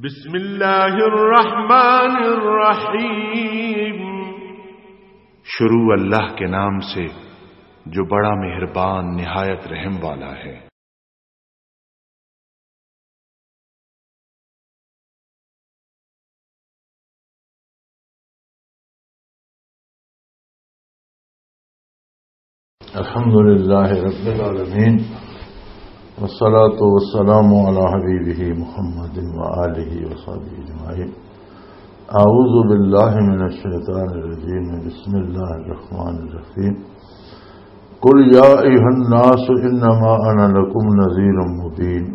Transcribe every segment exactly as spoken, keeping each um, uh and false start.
بسم اللہ الرحمن الرحیم۔ شروع اللہ کے نام سے، جو بڑا مہربان، نہایت رحم والا ہے۔ الحمد لله رب العالمين، والصلاة والسلام على حبيبه محمد وآله وصحبه أجمعين. أعوذ بالله من الشيطان الرجيم. بسم الله الرحمن الرحيم. قل يا أيها الناس إنما أنا لكم نذير مبين.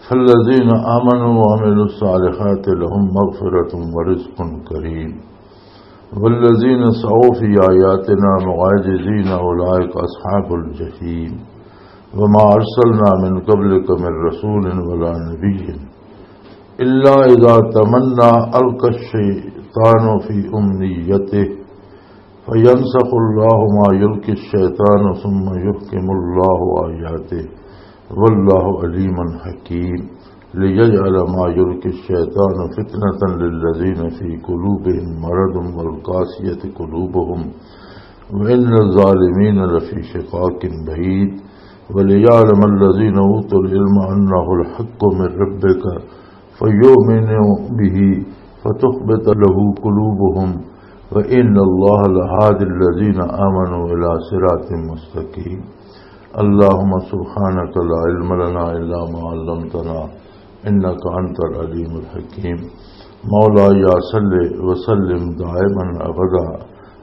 فالذين آمنوا وعملوا الصالحات لهم مغفرة ورزق كريم. والذين سعوا في آياتنا معاجزين أولئك أصحاب الجحيم. وما أرسلنا من قبلك من رسول ولا نبي إلا إذا تمنى ألقى الشيطان في أمنيته فينسخ الله ما يلقي الشيطان ثم يحكم الله آياته والله عليم حكيم. ليجعل ما يلقي الشيطان فتنة للذين في قلوبهم مرض والقاسية قلوبهم وإن الظالمين لفي شقاق بعيد. وليعلم الذين أوتوا العلم أنه الحق من ربك فيؤمنوا به فتخبت له قلوبهم وإن الله لهادي الذين آمنوا إلى صراط مستقيم. اللهم سبحانك لا علم لنا إلا ما علمتنا إنك أنت العليم الحكيم. مولاي صل وسلم دائما أبدا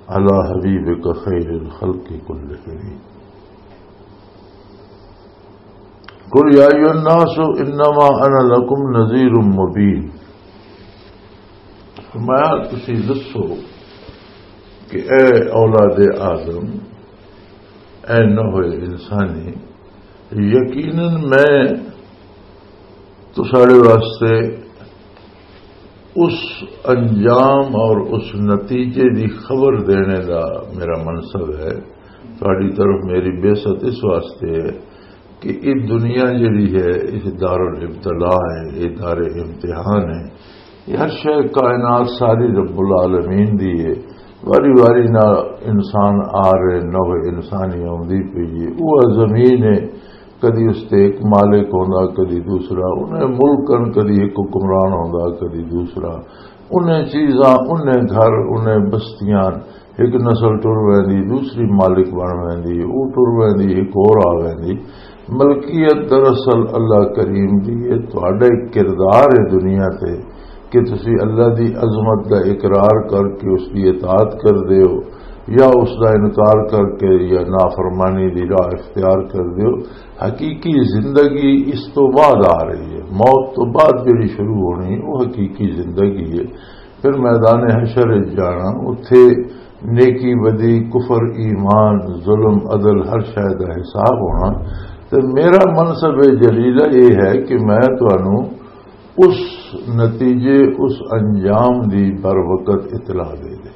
على حبيبك خير الخلق كلهم. قل يا أيها الناس إنما أنا لكم نذير مبين. فرمایا، تسی دسو کہ اے اولاد آدم، اے نوح انسانی، یقیناً میں تساڑے واسطے اس انجام اور اس نتیجے دی خبر دینے دا میرا منصب ہے۔ تہاڈی طرف میری بعثت اس واسطے ہے کہ یہ دنیا جڑی ہے، یہ دار الابتلاء ہے، یہ دار امتحان ہے۔ یہ ہر شے کائنات ساری رب العالمین دی ہے۔ واری واری نال انسان آ رہے، نوع انسانی آوندی پئی ہے۔ وہ زمین ہے، کدی اس تے ایک مالک ہوندا، کدی دوسرا۔ انہیں ملکن، کدی ایک حکمران ہوندا، کدی دوسرا۔ انہیں چیزاں، انہیں گھر، انہیں بستیاں، ایک نسل ٹر ویندی، دوسری مالک بن ویندی، او ٹر ویندی، ایک اور آ ویندی۔ ملکیت دراصل اللہ کریم دی ہے۔ تہاڈا ایک کردار ہے دنیا تے کہ تسی اللہ دی عظمت دا اقرار کر کے اس دی اطاعت کر دیو، یا اس دا انکار کر کے یا نافرمانی دی راہ اختیار کر دیو۔ حقیقی زندگی اس تو بعد آ رہی ہے، موت تو بعد جڑی شروع ہونی، وہ حقیقی زندگی ہے۔ پھر میدان حشر وچ جانا، اتھے نیکی بدی، کفر ایمان، ظلم عدل، ہر شے دا حساب ہونا۔ تے میرا منصب جلیلہ یہ ہے کہ میں تانوں اس نتیجے، اس انجام دی بر وقت اطلاع دے دے۔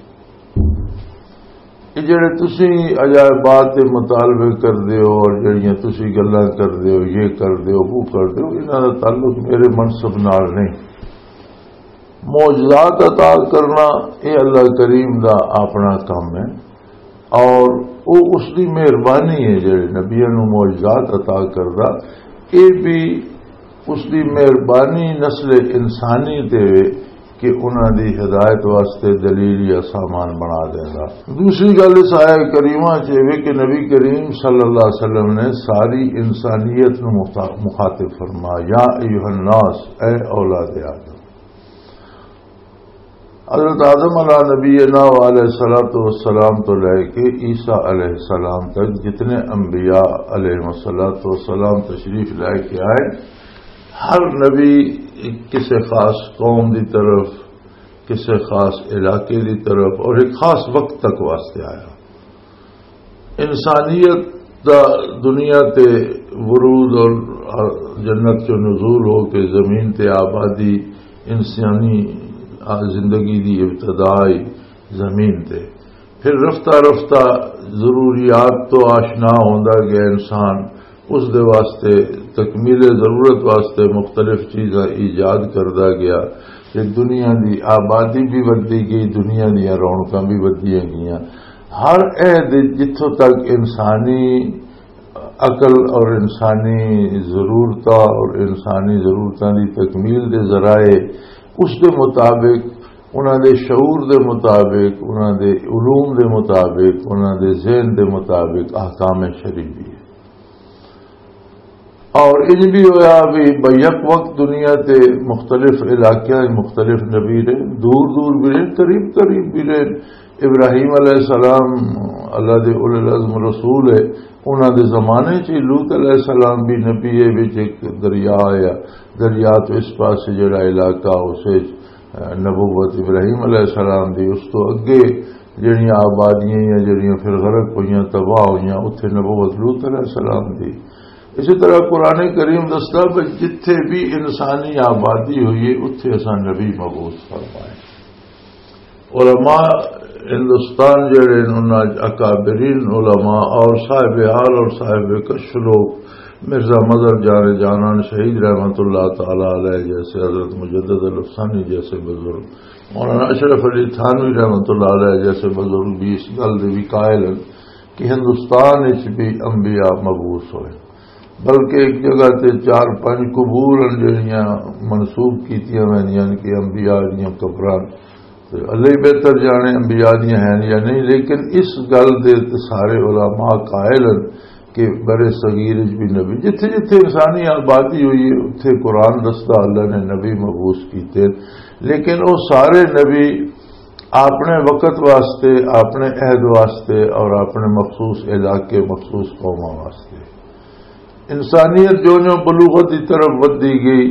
یہ جڑے تسی عجائبات دے مطالبے کردے ہو اور جڑیاں تسی گلاں کردے ہو، یہ کردے ہو، وہ کردے ہو، انہاں دا تعلق میرے منصب نال نہیں۔ معجزات عطا کرنا، یہ اللہ کریم دا اپنا کام ہے، اور وہ اس دی مہربانی ہے، جڑے نبیاں نوں معجزات عطا کردا، یہ بھی اس دی مہربانی نسل انسانی تے وے کہ انہاں دی ہدایت واسطے دلیل یا سامان بنا دیندا۔ دوسری گل اس آیت کریمہ چ یہ وے کہ نبی کریم صلی اللہ علیہ وسلم نے ساری انسانیت نوں مخا-، مخاطب فرمایا، یا ایھا الناس، اے اولاد آدم۔ حضرت آدم علیہ نبینا و علیہ الصلوۃ والسلام تو لے کے عیسیٰ علیہ السلام تک جتنے انبیاء علیہ الصلوۃ والسلام تشریف لے کے آئے، ہر نبی کسی خاص قوم دی طرف، کسی خاص علاقے دی طرف اور ایک خاص وقت تک واسطے آیا۔ انسانیت دا دنیا تے ورود اور جنت چوں نزول ہو کے زمین تے آبادی، انسانی زندگی دی ابتدا ہی زمین تے۔ پھر رفتہ رفتہ ضروریات تو آشنا ہوندا گیا انسان، اس دے واسطے، تکمیل ضرورت واسطے مختلف چیزاں ایجاد کردا گیا، تے دنیا دی آبادی بھی ودی گئی، دنیا دیاں رونقاں بھی ودیاں گئیاں۔ ہر عہد جتھوں تک انسانی عقل اور انسانی ضرورتاں اور انسانی ضرورتاں دی تکمیل دے ذرائع، اس دے مطابق، انہاں دے شعور دے مطابق، انہاں دے علوم دے مطابق، انہاں دے ذہن دے مطابق احکام شریعت بھی ہے۔ اور انج بھی ہویا بھی بیک وقت دنیا تے مختلف علاقیاں وچ مختلف نبی رہے، دور دور بھی رہے، قریب قریب بھی رہے۔ ابراہیم علیہ السلام اللہ دے اولو العزم رسول ہے، انہاں دے زمانے چ لوط علیہ السلام بھی نبی ہے، وچ ایک دریا آیا، دریا تو اس پاسے جڑا علاقہ، اسے نبوت ابراہیم علیہ السلام دی، اس تو اگے جڑیاں آبادیاں یا جڑیاں پھر غرق ہوئیاں، تباہ ہوئیاں، اتھے نبوت لوط علیہ السلام دی۔ اسی طرح قرآن کریم دسدا کہ جتھے بھی انسانی آبادی ہوئی ہے، اتھے اساں نبی مبعوث فرمائے۔ علماء ہندوستان جڑے نے، انہاں اکابرین علماء اور صاحب حال اور صاحب کش لوگ، مرزا مظہر جان جانان شہید رحمت اللہ تعالی علیہ جیسے، حضرت مجدد الافسانی جیسے بزرگ، مولانا اشرف علی تھانوی رحمت اللہ علیہ جیسے بزرگ بھی اس گل دے بھی قائل ہیں کہ ہندوستان وچ بھی انبیاء مبعوث ہوئے، بلکہ ایک جگہ تے چار پنج قبور ہیں جڑیاں منسوب کیتیاں ویندیاں نے کہ انبیاء دیاں قبراں۔ تے اللہ ہی بہتر جانے انبیاء دیاں ہیں یا نہیں، لیکن اس گل دے تے سارے علماء قائل ہیں کہ برے صغیر وچ بھی نبی، جتھے جتھے انسانی آبادی ہوئی ہے، اتھے قرآن دسدا اللہ نے نبی مبعوث کیتے۔ لیکن وہ سارے نبی اپنے وقت واسطے، اپنے عہد واسطے اور اپنے مخصوص علاقے، مخصوص قوماں واسطے۔ انسانیت جو جو بلوغت کی طرف ودی گئی،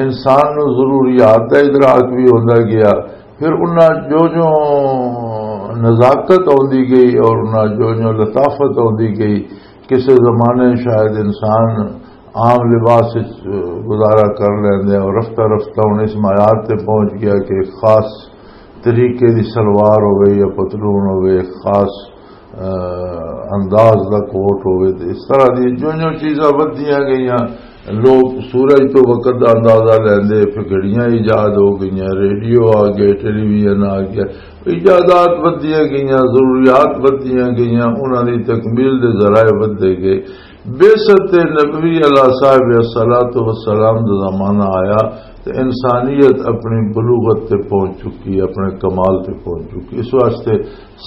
انسان نو ضروریات کا ادراک بھی ہوندا گیا، پھر انہاں جو جو نزاکت آندی گئی اور انہاں جو جو لطافت آندی گئی، کسے زمانے شاید انسان عام لباس وچ گزارا کر لیندے، اور رفتہ رفتہ ہن اس معیار تے پہنچ گیا کہ خاص طریقے دی سلوار ہوے یا پتلون ہوے، خاص، آ، انداز دا کوٹ ہوے، تے اس طرح دی جو جو چیزاں ودیاں گئیاں، لوگ سورج تو وقت دا اندازہ لیندے، پھر گھڑیاں ایجاد ہو گئیاں، ریڈیو آ گئے، ٹیلی ویژن آ گیا، ایجادات ودیاں گئیاں، ضروریات ودیاں گئیاں، انہاں دی تکمیل دے ذرائع ودے گئے۔ بعثت نبوی علیہ صاحب الصلوۃ والسلام دا زمانہ آیا تے انسانیت اپنی بلوغت تے پہنچ چکی، اپنے کمال تے پہنچ چکی۔ اس واسطے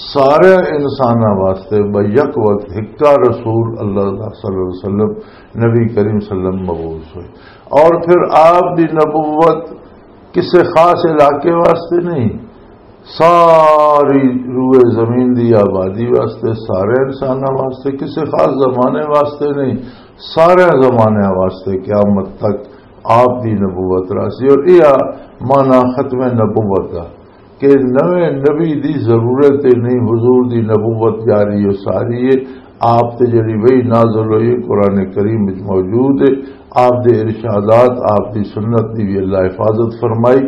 سارے انساناں واسطے بیک وقت ہکا رسول اللہ صلی اللہ علیہ وسلم، نبی کریم صلی اللہ علیہ وسلم مبعوث ہوئے۔ اور پھر آپ دی نبوت کسے خاص علاقے واسطے نہیں، ساری روئے زمین دی آبادی واسطے، سارے انساناں واسطے، کسے خاص زمانے واسطے نہیں، سارے زمانے واسطے قیامت تک آپ دی نبوت راسی۔ اور یہ معنی ختم نبوت دا کہ نویں نبی دی ضرورت ہی نہیں، حضور دی نبوت جاری و ساری ہے۔ آپ تے جڑی وحی نازل ہوئی، قرآن کریم وچ موجود ہے۔ آپ دے ارشادات، آپ دی سنت دی بھی اللہ حفاظت فرمائی،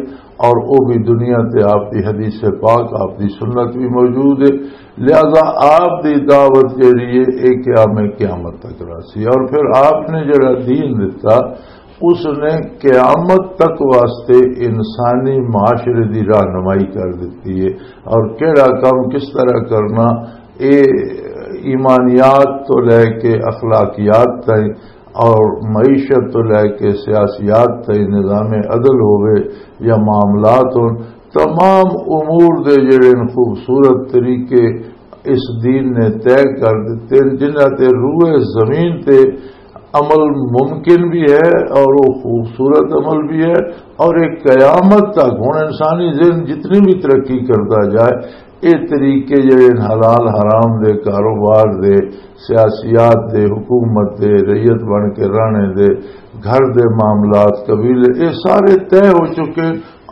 اور او بھی دنیا تے آپ دی حدیث پاک، آپ دی سنت بھی موجود ہے۔ لہذا آپ دی دعوت جڑی ہے، ایک قیام قیامت تک راسی۔ اور پھر آپ نے جڑا دین دتا، اس نے قیامت تک واسطے انسانی معاشرے دی رہنمائی کر دیتی ہے، اور کیڑا کام کس طرح کرنا، اے ایمانیات تو لے کے اخلاقیات تائیں اور معیشت تو لے کے سیاسیات تائیں، نظام عدل ہوئے یا معاملات ہون، تمام امور دے جڑے ان خوبصورت طریقے اس دین نے طے کر دیتے ہیں، جنہاں تے روئے زمین تے عمل ممکن بھی ہے اور وہ خوبصورت عمل بھی ہے، اور ایک قیامت تک ہن انسانی ذہن جتنی بھی ترقی کرتا جائے، یہ طریقے جڑے حلال حرام دے، کاروبار دے، سیاسیات دے، حکومت دے، رعیت بن کے رہنے دے، گھر دے معاملات، قبیلے، یہ سارے طے ہو چکے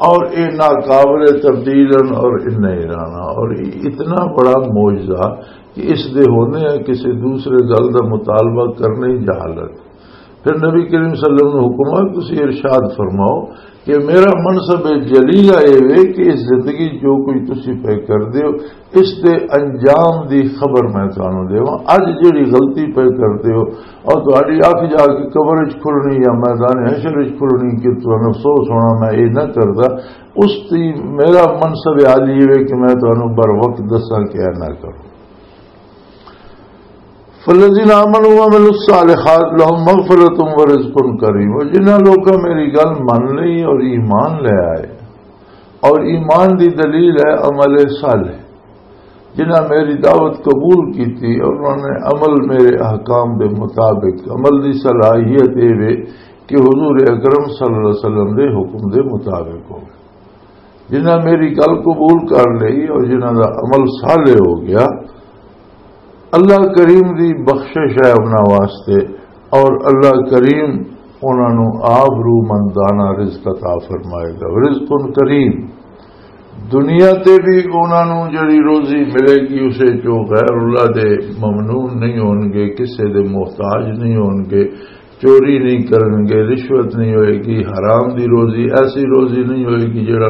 اور یہ ناقابل تبدیل ہیں اور انہیں ہی رہنا۔ اور اتنا بڑا معجزہ کہ اس دے ہونے ہیں کسی دوسرے گل دا مطالبہ کرنے ہی جہالت۔ پھر نبی کریم صلی اللہ علیہ وسلم نے حکم ہے، تسی ارشاد فرماؤ کہ میرا منصب جلیلہ اے وے کہ اس زندگی جو کچھ تسی پہ کردے ہو، اس دے انجام دی خبر میں تانوں دیواں۔ اج جڑی غلطی پہ کردے ہو، اور تہاڈی اکھ جا کے قبر وچ کھلنی یا میدان حشر وچ کھلنی کہ تانوں افسوس ہونا، میں اے نہ کردا۔ اس دی میرا منصب عالی اے وے کہ میں تانوں بر وقت دساں کہ اے نہ کرو۔ فالذین آمنوا وعملوا الصالحات لهم مغفرۃ ورزق کریم۔ اور جنہاں لوکاں میری گل من لئی اور ایمان لے آئے، اور ایمان دی دلیل ہے عمل صالح۔ جنہاں میری دعوت قبول کیتی اور انہوں نے عمل میرے احکام دے مطابق، عمل دی صلاحیت اے وے کہ حضور اکرم صلی اللہ علیہ وسلم دے حکم دے مطابق ہو۔ جنہاں میری گل قبول کر لئی اور جنہاں دا عمل صالح ہو گیا، اللہ کریم دی بخشش ہے انہاں واسطے، اور اللہ کریم انہاں نوں آبرومندانہ رزق عطا فرمائے گا۔ رزق کریم، دنیا تے بھی انہاں نوں جڑی روزی ملے گی، اسے چوں غیر اللہ دے ممنون نہیں ہون گے، کسے دے محتاج نہیں ہون گے، چوری نہیں کرن گے، رشوت نہیں ہوئے گی، حرام دی روزی، ایسی روزی نہیں ہوئے گی جڑا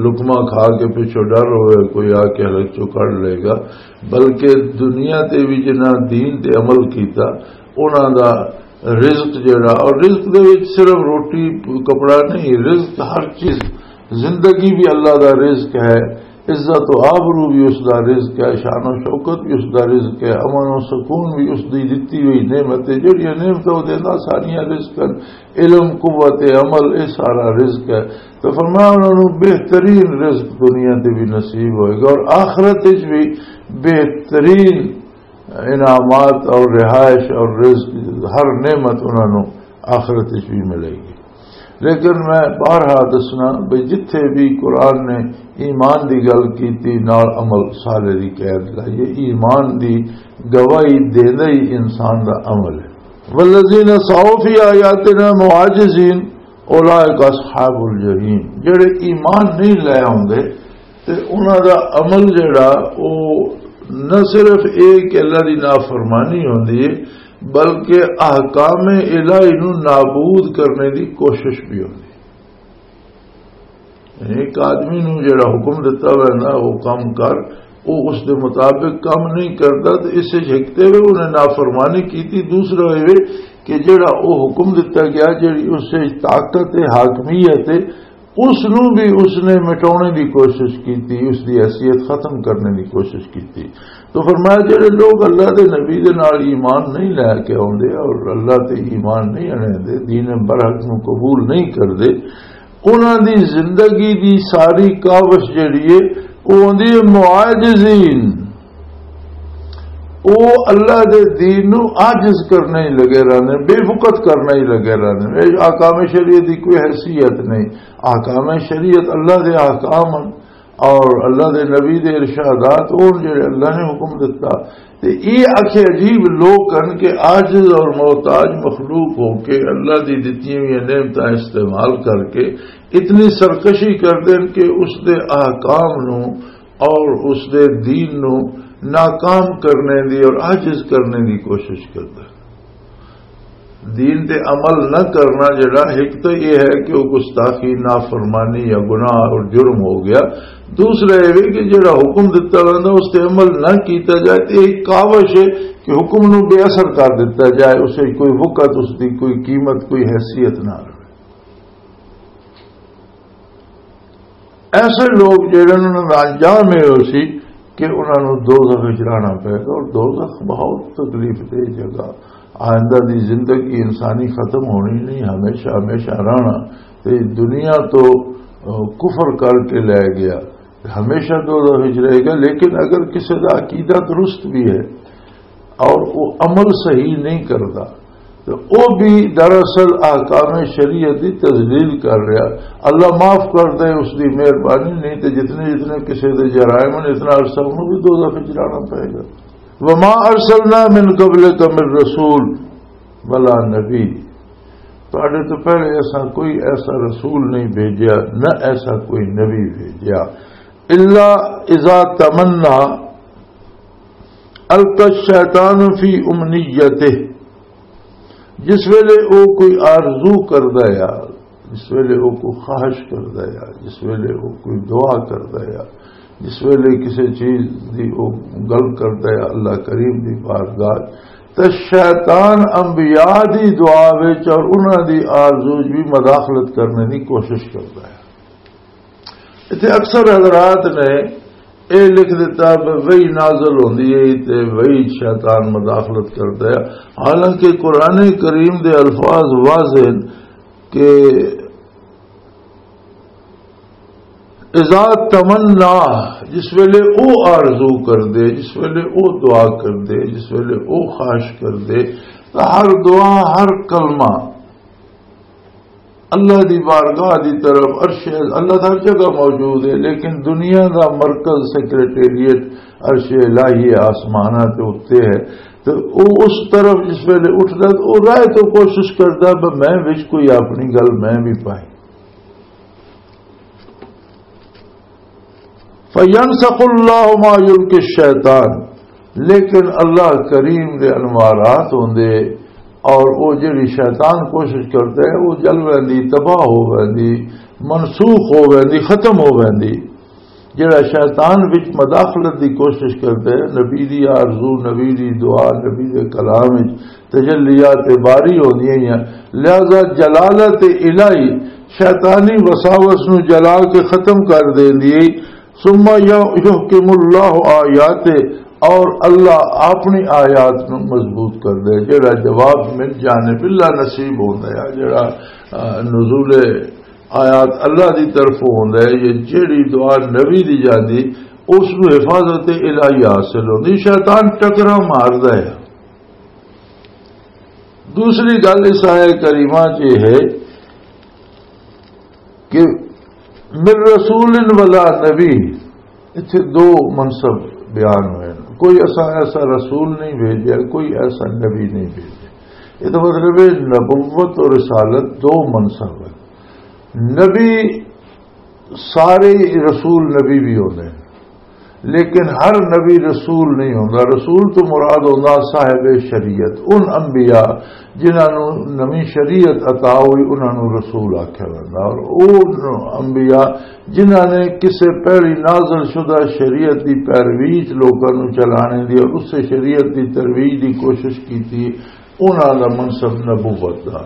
لقمہ کھا کے پچھوں ڈر ہوئے کوئی آ کے حلق چوں کڈ لے گا۔ بلکہ دنیا تے بھی جنہاں دین تے عمل کیتا، انہاں دا رزق جڑا، اور رزق دے وچ صرف روٹی کپڑا نہیں، رزق ہر چیز، زندگی بھی اللہ دا رزق ہے، عزت و آبرو بھی اس دا رزق ہے، شان و شوکت بھی اس دا رزق ہے، امن و سکون بھی اس دی دتی ہوئی نعمت ہے۔ جڑیاں نعمتاں او دیندا، ساریاں رزق ہیں۔ علم، قوت عمل، اے سارا رزق ہے۔ تو فرمایا، انہاں نوں بہترین رزق دنیا تے بھی نصیب ہوئے گا اور آخرت وچ بھی بہترین انعامات اور رہائش اور رزق، ہر نعمت انہاں نوں آخرت وچ بھی ملے گی۔ لیکن میں بارہا دسنا بھی، جتھے بھی قرآن نے ایمان دی گل کیتی، نال عمل صالح دی قید لائی ہے۔ ایمان دی گواہی دیندا ہی انسان دا عمل ہے۔ والذین سعوا فی آیاتنا معاجزین اولئک اصحاب الجحیم۔ جڑے ایمان نہیں لے آوندے تے انہاں دا عمل جڑا، او نہ صرف اے کہ اللہ دی نافرمانی ہوندی ہے، بلکہ احکام الہی نوں نابود کرنے دی کوشش بھی ہوندی ہے۔ یعنی ایک آدمی نوں جڑا حکم دتا ہوا ہے نا، وہ کم کر، وہ اس دے مطابق کم نہیں کردا، تو اس سے ہکتے ہوئے انہیں نافرمانی کیتی۔ دوسرا یہ کہ جڑا وہ حکم دتا گیا، جڑی اس سے طاقت ہے، حاکمیت ہے، اس نوں بھی اس نے مٹانے دی کوشش کیتی، اس دی حیثیت ختم کرنے دی کوشش کیتی۔ تو فرمایا، جڑے لوگ اللہ دے نبی دے نال ایمان نہیں لے کے آوندے اور اللہ تے ایمان نہیں اڑیندے، دین برحق نوں قبول نہیں کردے، انہاں دی زندگی دی ساری کاوش جڑی ہے، او ہوندی ہے معاجزین۔ او اللہ دے دین نوں عاجز کرنا ہی لگے رہنے، بے وقت کرنا ہی لگے رہنے۔ اے احکام شریعت دی کوئی حیثیت نہیں۔ احکام شریعت اللہ دے احکام ہن اور اللہ دے نبی دے ارشادات ہن جڑے اللہ نے حکم دتا۔ تے یہ آخے عجیب لوگ ہن کہ عاجز اور محتاج مخلوق ہو کے اللہ دی دتیاں ہوئی نعمتاں استعمال کر کے اتنی سرکشی کر دین کہ اس دے احکام نوں اور اس دے دین نوں ناکام کرنے دی اور عاجز کرنے دی کوشش کردا۔ دین تے عمل نہ کرنا جڑا، ایک تو یہ ہے کہ وہ گستاخی، نافرمانی یا گناہ اور جرم ہو گیا۔ دوسرا یہ بھی کہ جڑا حکم دتا رہندا، اس تے عمل نہ کیتا جائے، تے ایک کاوش ہے کہ حکم نو بے اثر کر دتا جائے، اسے کوئی وقت، اس دی کوئی قیمت، کوئی حیثیت نہ رہے۔ ایسے لوگ جڑے انہاں دا انجام یہ ہو سی کہ انہاں نوں دوزخ وچ رہنا پے گا، اور دوزخ بہت تکلیف دہ جگہ۔ آئندہ دی زندگی انسانی ختم ہونی نہیں، ہمیشہ ہمیشہ رہنا۔ تے دنیا تو، آ، کفر کر کے لے گیا، ہمیشہ دوزخ وچ رہے گا۔ لیکن اگر کسی دا عقیدہ درست بھی ہے، اور وہ عمل صحیح نہیں کرتا، تو وہ بھی دراصل احکام شریعت کی تذلیل کر رہا۔ اللہ معاف کر دے، اس کی مہربانی نہیں، تو جتنے جتنے کسی دے جرائم ہیں، اتنا عرصہ انہوں بھی دوزخ وچ جانا پائے گا۔ وما ارسلنا من قبلک من رسول ولا نبی، تہاڈے تو پہلے ایسا کوئی ایسا رسول نہیں بھیجا، نہ ایسا کوئی نبی بھیجا۔ الا اذا تمنا القى الشیطان فی امنیتہ، جس ویلے او کوئی آرزو کردا ہے، جس ویلے وہ کوئی خواہش کردا ہے، جس ویلے وہ کوئی دعا کردا ہے، جس ویلے کسی چیز دی وہ گل کردا ہے اللہ کریم دی بارگاہ، تے شیطان انبیاء دی دعا وچ اور انہاں دی آرزو وچ بھی مداخلت کرنے دی کوشش کردا ہے۔ اتنے اکثر حضرات نے اے لکھ دیتا بھی وحی نازل ہوندی ہے تے وحی شیطان مداخلت کردا ہے، حالانکہ قرآن کریم دے الفاظ واضح ہیں کہ اذا تمنا، جس ویلے او آرزو کر دے، جس ویلے او دعا کر دے، جس ویلے او خواہش کر دے، تو ہر دعا، ہر کلمہ اللہ دی بارگاہ دی طرف، عرش، اللہ ہر جگہ موجود ہے، لیکن دنیا دا مرکز، سیکرٹریٹ، عرش الہی آسماناں تے اُتے ہے۔ تو او اس طرف جس ویلے اٹھدا تو او راہ تو کوشش کردا، "بس میں وچ کوئی اپنی گل میں بھی پائی۔" فَيَنْسَخُ اللَّهُ مَا يُلْقِي الشَّيْطَانُ، لیکن اللہ کریم دے انوارات ہوندے، اور او جڑی شیطان کوشش کردا ہے، او جل ویندی، تباہ ہو ویندی، منسوخ ہو ویندی، ختم ہو ویندی۔ جڑا شیطان وچ مداخلت دی کوشش کردا ہے، نبی دی آرزو، نبی دی دعا، نبی دے کلام وچ تجلیات باری ہوندیاں ہی ہیں۔ لہذا جلالت الہی شیطانی وساوس نو جلا کے ختم کر دیندی ہے۔ ثم یحکم اللہ آیات، اور اللہ اپنی آیات نو مضبوط کر دے۔ جڑا جواب من جانب اللہ نصیب ہوندا ہے، جڑا، آ، نزول آیات اللہ دی طرف ہوندا ہے، یہ جڑی دعا نبی دی جاندی، اس نو حفاظت الہی حاصل ہوندی۔ شیطان ٹکرا ماردا ہے۔ دوسری گل اس آیت کریمہ چ یہ ہے کہ من رسول ولا نبی، اتھے دو منصب بیان ہوئے ہیں۔ کوئی ایسا، ایسا رسول نہیں بھیجا، کوئی ایسا نبی نہیں بھیجا۔ یہ تو مطلب ہے نبوت اور رسالت دو منصب ہیں۔ نبی، سارے رسول نبی بھی ہوندے ہیں، لیکن ہر نبی رسول نہیں ہوندا۔ رسول تو مراد ہوندا صاحب شریعت، ان انبیاء جنہاں نوں نویں شریعت عطا ہوئی، انہاں نوں رسول آکھیا ویندا۔ اور او انبیاء جنہاں نے کسے پہلی نازل شدہ شریعت دی پیروی چ لوکاں نوں چلانے دی اور اسے شریعت دی ترویج دی کوشش کیتی، انہاں دا منصب نبوت دا۔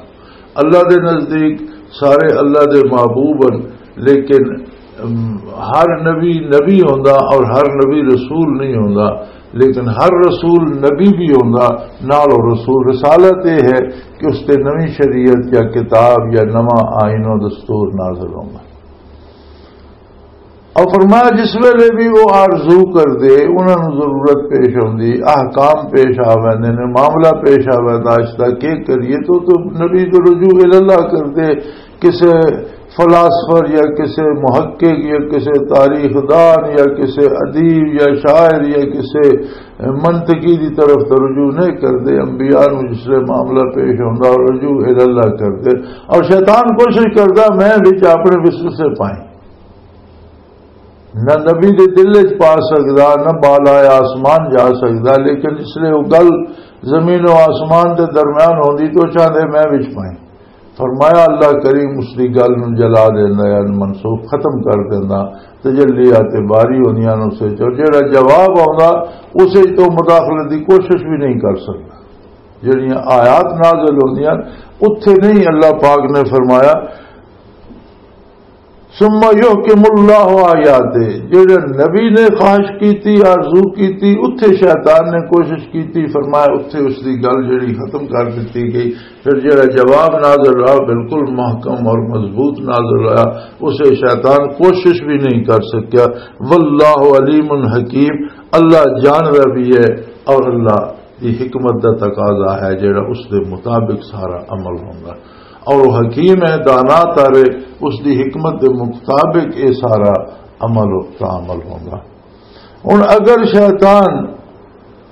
اللہ دے نزدیک سارے اللہ دے محبوب ہن، لیکن، ام، ہر نبی نبی ہوندا اور ہر نبی رسول نہیں ہوندا، لیکن ہر رسول نبی بھی ہوندا، نال او رسول۔ رسالت یہ ہے کہ اس تے نویں شریعت یا کتاب یا نواں آئین و دستور نازل ہوندا۔ اور فرمایا، جس ویلے بھی وہ آرزو کر دے، انہاں نوں ضرورت پیش ہوندی، احکام پیش آ ویندے نے، معاملہ پیش آ ویندا، اس دا کی کریے؟ تو، تو نبی تو رجوع الاللہ کر دے، کسے فلاسفر یا کسے محقق یا کسے تاریخ دان یا کسے ادیب یا شاعر یا کسے منطقی دی طرف تو رجوع نہیں کر دے۔ انبیاء نوں جس ویلے معاملہ پیش ہوندا، رجوع الاللہ کر دے۔ اور شیطان کوشش کردا، میں وچ اپنے وسوسے پائیں۔ نہ نبی دے دل وچ پا سکدا، نہ بالائے آسمان جا سکدا، لیکن اس لیے وہ گل زمین و آسمان دے درمیان ہوندی تو چاہندے میں وچ پائیں۔ فرمایا، اللہ کریم اس دی گل نوں جلا دیندا ہے، منسوخ ختم کر دیندا، تجلیات باری ہوندیاں نوں اسے چ، اور جڑا جواب آوندا اسے چ تو مداخلت دی کوشش بھی نہیں کر سکدا۔ جڑیاں آیات نازل ہوندیاں اتھے نہیں، اللہ پاک نے فرمایا، ثم یحکم اللہ آیاتے، جڑے نبی نے خواہش کیتی، آرزو کیتی، اتھے شیطان نے کوشش کیتی، فرمایا اتھے اس دی گل جڑی ختم کر دتی گئی۔ پھر جڑا جواب نازل رہا، بالکل محکم اور مضبوط نازل رہا، اسے شیطان کوشش بھی نہیں کر سکیا۔ واللہ علیم حکیم، اللہ جاندا بھی ہے اور اللہ دی حکمت دا تقاضا ہے جڑا اس دے مطابق سارا عمل ہوندا۔ اور وہ حکیم ہے، دانا تارے، اس دی حکمت دے مطابق یہ سارا عمل و تعمل ہوندا۔ ہن اگر شیطان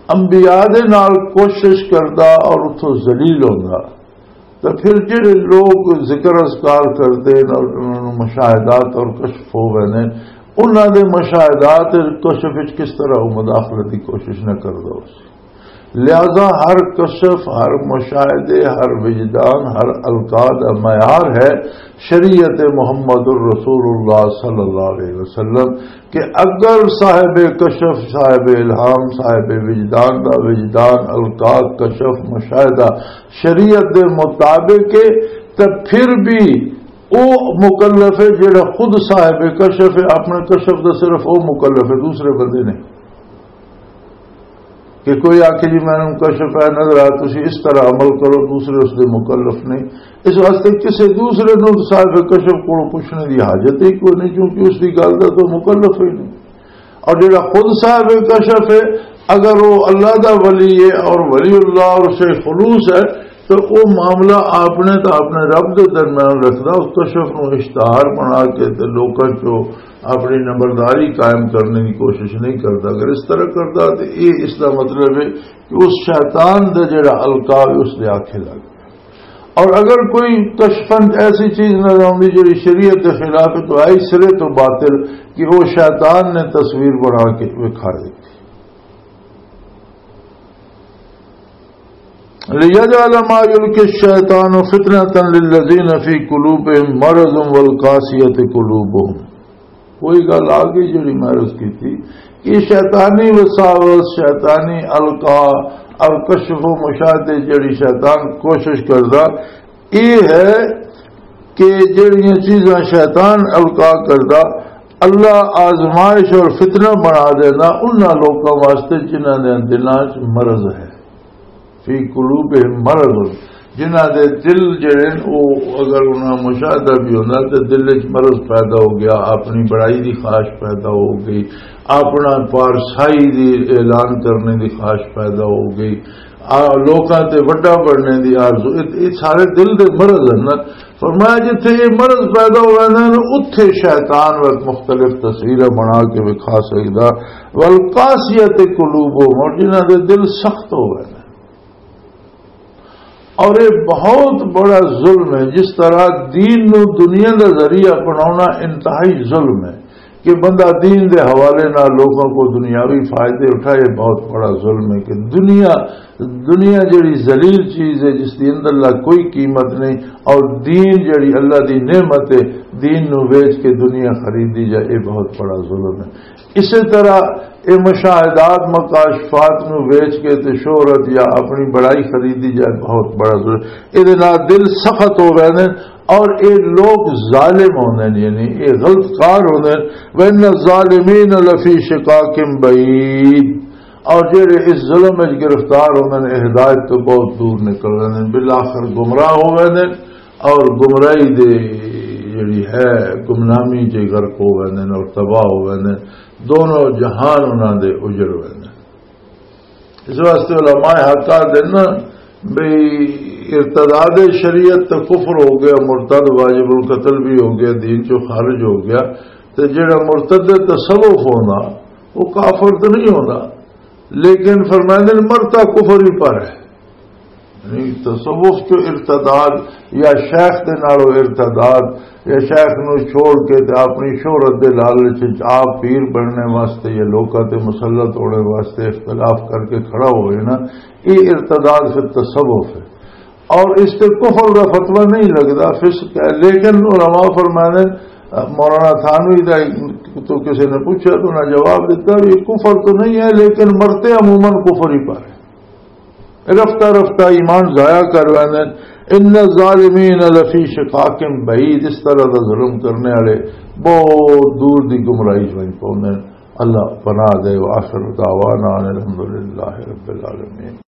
انبیاء دے نال کوشش کردا اور اتھوں ذلیل ہوندا، تو پھر جڑے لوگ ذکر اذکار کردے نے اور انہاں نوں مشاہدات اور کشف ہو ویندے نے، انہاں دے مشاہدات اور کشف وچ کس طرح وہ مداخلت دی کوشش نہ کردا ہو سی؟ لہذا ہر کشف، ہر مشاہدے، ہر وجدان، ہر القا دا معیار ہے شریعت محمد الرسول اللہ صلی اللہ علیہ وسلم، کہ اگر صاحب کشف، صاحب الہام، صاحب وجدان دا وجدان، القا، کشف، مشاہدہ شریعت دے مطابق ہے، تے پھر بھی او مکلف ہے جڑا خود صاحب کشف ہے۔ اپنے کشف دا صرف او مکلف ہے، دوسرے بندے نہیں۔ کہ کوئی آکھے، "جی، مینوں کشف ہے، نظر آ، تسی اس طرح عمل کرو"، دوسرے اس دے مکلف نہیں۔ اس واسطے کسے دوسرے نوں صاحب کشف کولوں پوچھنے دی حاجت ہی کوئی نہیں، کیونکہ اس دی گل دا تو مکلف ہی نہیں۔ اور جڑا خود صاحب کشف ہے، اگر وہ اللہ دا ولی ہے اور ولی اللہ اور شیخ خلوص ہے، تو وہ معاملہ آپ نے تو اپنے رب دے درمیان رکھنا، اس کشف نوں اشتہار بنا کے تے لوکاں چوں اپنی نمبرداری قائم کرنے کی کوشش نہیں کرتا۔ اگر اس طرح کرتا تو یہ اس کا مطلب ہے کہ اس شیطان دا جڑا القا ہے، اس دے آنکھیں لگ۔ اور اگر کوئی کشفن ایسی چیز نظر آؤندی جڑی شریعت کے خلاف ہے، تو آئی سرے تو باطل، کہ وہ شیطان نے تصویر بنا کے وکھا دیتی۔ لِيَجْعَلَ مَا يُلْقِي الشَّيْطَانُ فِتْنَةً لِلَّذِينَ فِي قُلُوبِهِمْ مَرَضٌ وَالْقَاسِيَةِ قُلُوبُهُمْ۔ وہی گل آ گئی جڑی میں عرض کی تھی کہ شیطانی وساوس، شیطانی القا اور کشف و مشاہدے جڑی شیطان کوشش کردا، یہ ہے کہ جڑیاں چیزاں شیطان القا کردا، اللہ آزمائش اور فتنہ بنا دینا انہاں لوکاں واسطے جنہاں دے دلاں 'چ مرض ہے۔ فی قلوبہم مرض، جنہاں دے دل جڑے نے، او اگر انہاں مشاہدہ بھی ہوندا تے دل وچ مرض پیدا ہو گیا، اپنی بڑائی دی خواہش پیدا ہو گئی، اپنا پارسائی دی اعلان کرنے دی خواہش پیدا ہو گئی، آ، لوکاں تے وڈا بننے دی آرزو، اے، اے سارے دل دے مرض ہیں نا۔ فرمایا جتھے یہ مرض پیدا ہو ویندے نے، اتھے شیطان وقت مختلف تصویراں بنا کے وکھا سکدا۔ والقاسیۃ قلوبہم، اور جنہاں دے دل سخت ہو ویندے۔ اور یہ بہت بڑا ظلم ہے، جس طرح دین نو دنیا دا ذریعہ بناونا انتہائی ظلم ہے۔ کہ بندہ دین دے حوالے نال لوگوں کو دنیاوی فائدے اٹھائے، بہت بڑا ظلم ہے۔ کہ دنیا، دنیا جڑی ذلیل چیز ہے، جس دی اندر اللہ کوئی قیمت نہیں، اور دین جڑی اللہ دی نعمت ہے، دین نو ویچ کے دنیا خریدی جائے، یہ بہت بڑا ظلم ہے۔ اسی طرح یہ مشاہدات، مکاشفات نو ویچ کے تے شہرت یا اپنی بڑائی خریدی جائے، بہت بڑا ظلم۔ یہ دے نال دل سخت ہو گئے نے، اور اے لوگ ظالم ہوندے نے، یعنی اے غلط کار ہوندے نے۔ وَإِنَّ الظَّالِمِينَ لَفِي شِقَاقٍ بَعِيدٍ، اور جڑے اس ظلم وچ گرفتار ہوندے نے، اے ہدایت تو بہت دور نکل رہے ہیں، بالآخر گمراہ ہو گئے نے، اور گمراہی دے جڑی ہے، گمنامی چ غرق ہو گئے نے اور تباہ ہو گئے نے۔ دونوں جہان انہاں دے اجڑ گئے نے۔ اس واسطے علماء حق آ دن بھئی، ارتداد شریعت تے کفر ہو گیا، مرتد واجب القتل بھی ہو گیا، دین چوں خارج ہو گیا۔ تے جڑا مرتد تصوف ہونا، وہ کافر تو نہیں ہونا، لیکن فرمائندے نے مرتا کفر ہی پر ہے۔ یعنی تصوف چوں ارتداد یا شیخ دے نالوں ارتداد، یا شیخ نو چھوڑ کے تے اپنی شہرت دے لالچ وچ آپ پیر بننے واسطے یا لوکاں تے مسلط ہونے واسطے اختلاف کر کے کھڑا ہوئے نا، یہ ارتداد پھر تصوف ہے۔ اور اس تے کفر دا فتویٰ نہیں لگدا، فسق ہے۔ لیکن علماء فرمانے، مولانا تھانوی دا تو کسی نے پوچھا تو انہاں جواب دیتا، یہ کفر تو نہیں ہے، لیکن مرتے عموماً کفر ہی پر ہے۔ رفتہ رفتہ ایمان ضائع کر ویندے۔ ان الظالمین لفی شقاق بعید، اس طرح دا ظلم کرنے والے بہت دور دی گمراہی وچ پوندے نے۔ اللہ پناہ دے۔ وآخر دعوانا ان الحمدللہ رب العالمین۔